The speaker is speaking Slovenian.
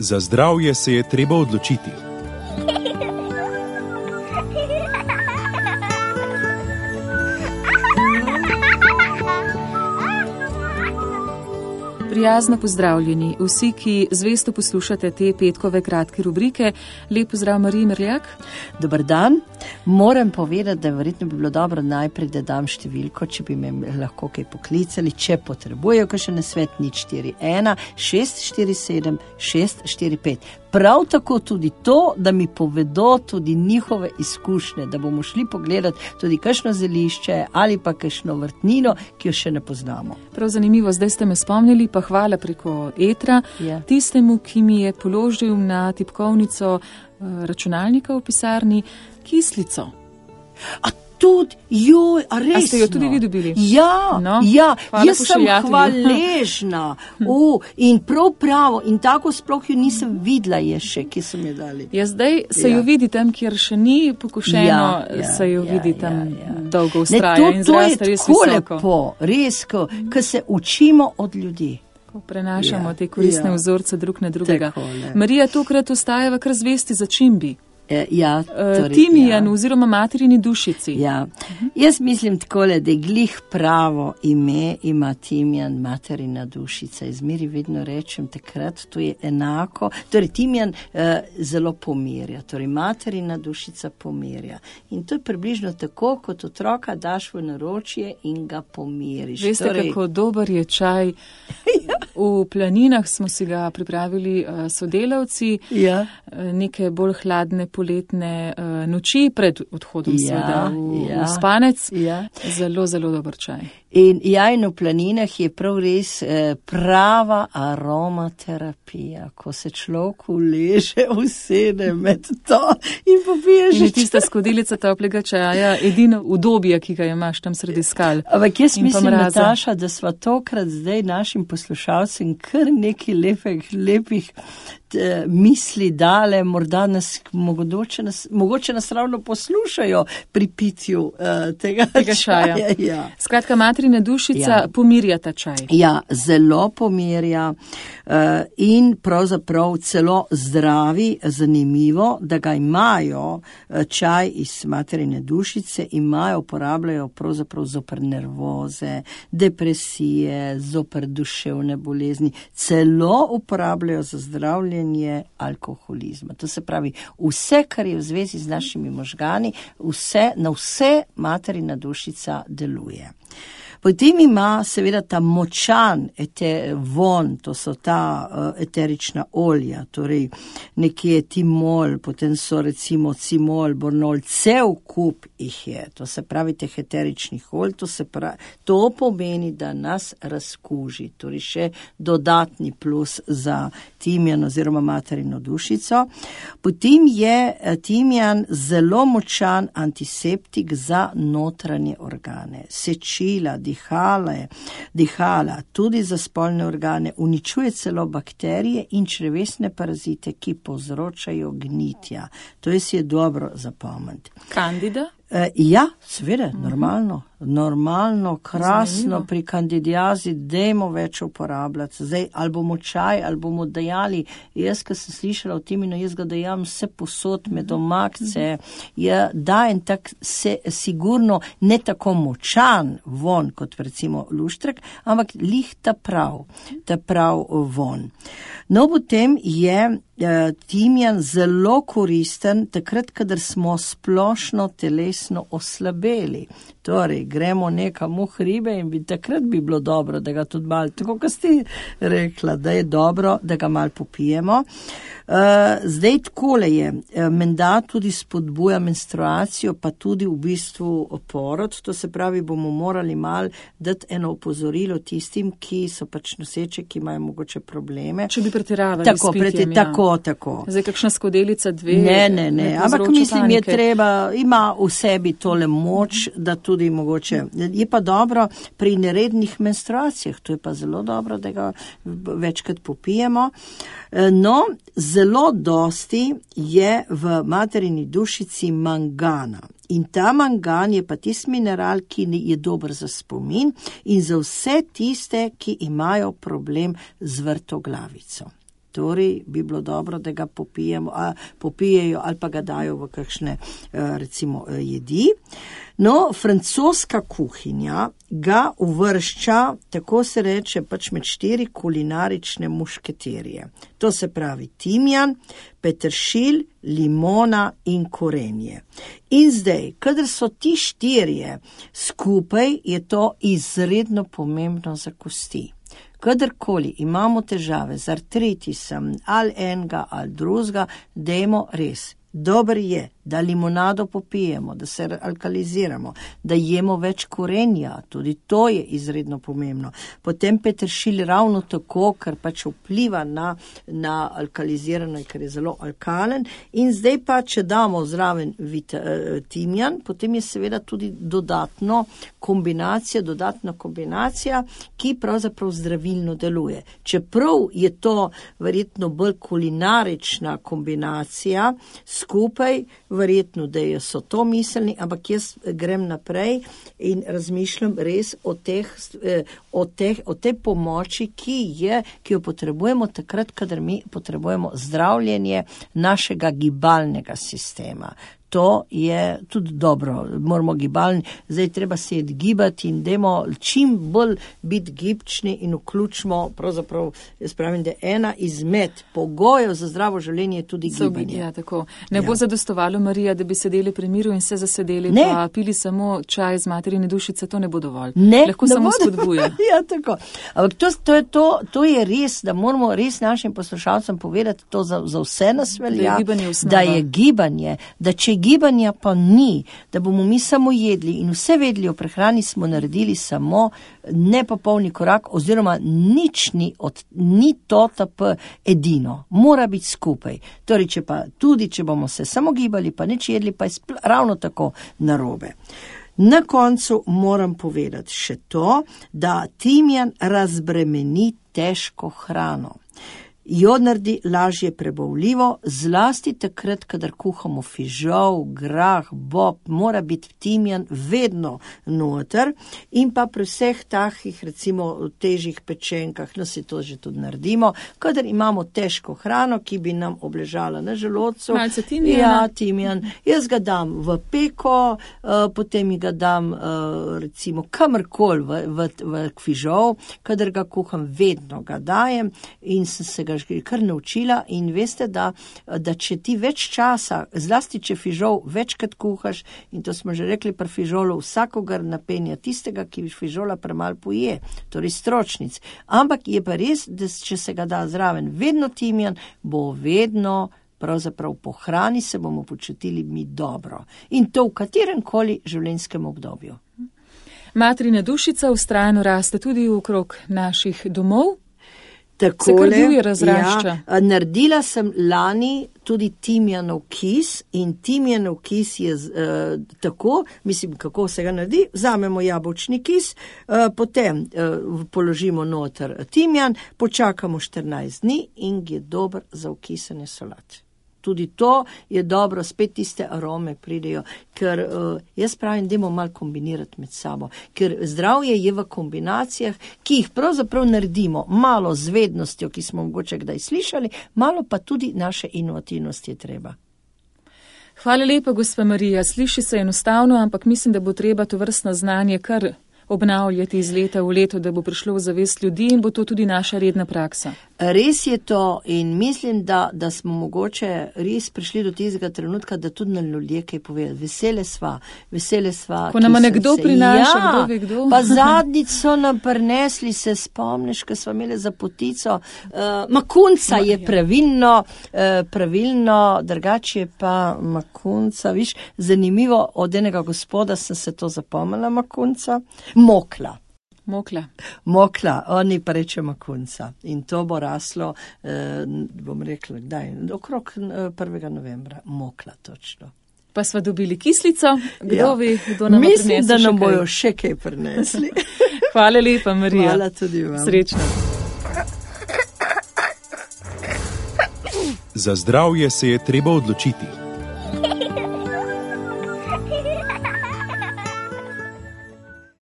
Za zdravje se je treba odločiti. Prijazno pozdravljeni vsi, ki zvesto poslušate te petkove kratke rubrike. Lep pozdrav Mariji Merljak. Dobar dan. Moram povedati, da verjetno bi bilo dobro najprej, da dam številko, če bi me lahko kaj poklicali, če potrebujejo kakšen nasvet, 041 647 645. Prav tako tudi to, da mi povedo tudi njihove izkušnje, da bomo šli pogledati tudi kakšno zelišče ali pa kakšno vrtnino, ki jo še ne poznamo. Prav zanimivo, zdaj ste me spomnili, pa hvala preko etra, tistemu, ki mi je položil na tipkovnico računalnika v pisarni kislico. A tudi, joj, a resno? A ste jo tudi vi dobili? Ja, no, ja, jaz sem hvaležna. In prav pravo, in tako sploh jo nisem videla je še, ki so mi dali. Ja, zdaj se jo vidi tam, kjer še ni pokošeno, se jo vidi tam dolgo ustraja in zraste res visoko. To je tako lepo, res, ko se učimo od ljudi. Ko prenašamo te koristne vzorce drug na drugega. Marija, tokrat ostajava kar zvesti začimbi. Timijan oziroma materini dušici. Ja. Jaz mislim takole, da je glih pravo ime ima timijan, materina dušica. Izmeri vedno rečem takrat, to je enako. Torej, timijan zelo pomirja, torej materina dušica pomirja. In to je približno tako, kot otroka daš v naročje in ga pomiriš. Veste, kako dober je čaj. V planinah smo si ga pripravili sodelavci, neke bolj hladne poletne noči pred odhodom v spanec. Zelo, zelo dober čaj. In v planinah je prav res prava aromaterapija, ko se človek uleže, usede med to in popiješ. In je tista skodelica toplega čaja edino udobje, ki ga imaš tam sredi skal. Ampak jaz mislim, Nataša, da sva tokrat zdaj našim poslušalcem kar nekaj lepih misli dale, morda mogoče nas ravno poslušajo pri pitju tega čaja. Skratka, materina dušica pomirja ta čaj. Ja, zelo pomirja in pravzaprav celo zdravi. Zanimivo, da ga imajo čaj iz materine dušice, uporabljajo pravzaprav zoper nervoze, depresije, zoper duševne bolezni, celo uporabljajo za zdravljenje alkoholizma. To se pravi, vse, kar je v zvezi z našimi možgani, na vse materina dušica deluje. Potem ima seveda ta močan von, to so ta eterična olja, torej nekje timol, potem so recimo cimol, bornol, cel kup jih je, to se pravi teh eteričnih olj, to pomeni, da nas razkuži, torej še dodatni plus za timijan oziroma materino dušico. Potem je timijan zelo močan antiseptik za notranje organe, sečila, dihala, tudi za spolne organe, uničuje celo bakterije in črevesne parazite, ki povzročajo gnitja. To je dobro zapomniti. Kandida? Ja, seveda, normalno, krasno, pri kandidiazi dajmo več uporabljati. Zdaj, ali bomo čaj, ali bomo dajali, jaz, ko sem slišala o timinu, jaz ga dajam vse posod med omakce, dajem tak sigurno ne tako močan von, kot recimo luštrek, ampak lih ta prav von. No, potem je timijan zelo koristen takrat, kadar smo splošno telesno oslabeli. Torej, gremo nekam v hribe in takrat bi bilo dobro, da ga tudi malo, tako kot ste rekla, da je dobro, da ga malo popijemo. Zdaj takole je, menda tudi spodbuja menstruacijo, pa tudi v bistvu porod, to se pravi, bomo morali malo dati eno opozorilo tistim, ki so pač noseče, ki imajo mogoče probleme. Če bi pretiravali s pitjem, Tako. Zdaj, kakšna skodelica, 2? Ne. Ampak mislim, je treba, ima v sebi tole moč, da tudi mogoče. Je pa dobro pri nerednih menstruacijah, to je pa zelo dobro, da ga večkrat popijemo. No, zelo dosti je v materini dušici mangana. In ta mangan je pa tisti mineral, ki je dober za spomin in za vse tiste, ki imajo problem z vrtoglavico. Torej bi bilo dobro, da ga popijejo ali pa ga dajo v kakšne recimo jedi. No, francoska kuhinja ga uvršča, tako se reče, pač med 4 kulinarične mušketerje. To se pravi timjan, peteršilj, limona in korenje. In zdaj, kadar so ti 4 skupaj, je to izredno pomembno za kosti. Kadarkoli imamo težave z artritisom ali enega ali drugega, dajmo res. Dober je, da limonado popijemo, da se alkaliziramo, da jemo več korenja, tudi to je izredno pomembno. Potem peteršilj ravno tako, ker pač vpliva na alkalizirano, ker je zelo alkalen. In zdaj pa, če damo zraven timjan, potem je seveda tudi dodatna kombinacija, ki pravzaprav zdravilno deluje. Čeprav je to verjetno bolj kulinarična kombinacija, skupaj verjetno, da so to miselni, ampak jaz grem naprej in razmišljam res o tej pomoči, ki jo potrebujemo takrat, kadar mi potrebujemo zdravljenje našega gibalnega sistema. To je tudi dobro, moramo gibalni, zdaj treba se gibati in dajmo čim bolj biti gibčni in vključimo, pravzaprav, jaz pravim, da ena izmed pogojev za zdravo življenje je tudi gibanje. Ja, tako. Ne bo zadostovalo, Marija, da bi sedeli pri miru in se zasedeli, pa pili samo čaj z materine dušice, to ne bo dovolj. Lahko samo spodbuja. Ja, tako. Ampak to je res, da moramo res našim poslušalcem povedati, to za vse nas velja, da je gibanje, da če gibanja pa ni, da bomo mi samo jedli in vse vedeli o prehrani, smo naredili samo nepopolni korak oziroma nič ni TOTP edino. Mora biti skupaj. Torej, če bomo se samo gibali, pa nič jedli, pa je ravno tako narobe. Na koncu moram povedati še to, da timjan razbremeni težko hrano. Jo naredi lažje prebavljivo, zlasti takrat, kadar kuhamo fižol, grah, bob, mora biti timjan vedno noter in pa pri vseh takih, recimo, težjih pečenkah, no si to že tudi naredimo, kadar imamo težko hrano, ki bi nam obležala na želodcu. Malce timjana. Ja, timjan. Jaz ga dam v peko, potem ga dam, recimo, kamorkoli v fižol, kadar ga kuham, vedno ga dajem in sem se ga kar naučila in veste, da če ti več časa, zlasti če fižol večkrat kuhaš, in to smo že rekli pri fižolu, vsakogar napenja tistega, ki fižola premalo poje, torej stročnic. Ampak je pa res, da če se ga da zraven vedno timjan, bo vedno pravzaprav po hrani se bomo počutili mi dobro. In to v kateremkoli življenjskem obdobju. Materina dušica vztrajno raste tudi okrog naših domov. Takole, se kar divje razrašča. Ja, naredila sem lani tudi timjanov kis in timjanov kis je tako, mislim, kako se ga naredi, vzamemo jabolčni kis, potem položimo noter timjan, počakamo 14 dni in je dober za okisanje solat. Tudi to je dobro, spet tiste arome pridejo, ker jaz pravim, dajmo malo kombinirati med sabo, ker zdravje je v kombinacijah, ki jih pravzaprav naredimo malo z vednostjo, ki smo mogoče kdaj slišali, malo pa tudi naše inovativnosti je treba. Hvala lepa, gospa Marija. Sliši se enostavno, ampak mislim, da bo treba to vrstno znanje kar obnavljati iz leta v leto, da bo prišlo v zavest ljudi in bo to tudi naša redna praksa. Res je to in mislim, da smo mogoče res prišli do tistega trenutka, da tudi na ljudje kaj povedati. Vesele sva. Ko nam nekdo prinaša, kdo ve kdo. Pa zadnjič so nam prinesli, se spomniš, ko smo imeli za potico, makunca je pravilno, drugače pa makunca, viš, zanimivo, od enega gospoda sem se to zapomnila, makunca, Mokla, oni pa reče makunca. In to bo raslo, bom rekla, okrog 1. novembra. Mokla, točno. Pa sva dobili kislico, kdo ve, kdo nam prinesli. Mislim, da nam bojo še kaj prinesli. Hvala lepa, Marija. Hvala tudi vam. Srečno. Za zdravje se je treba odločiti.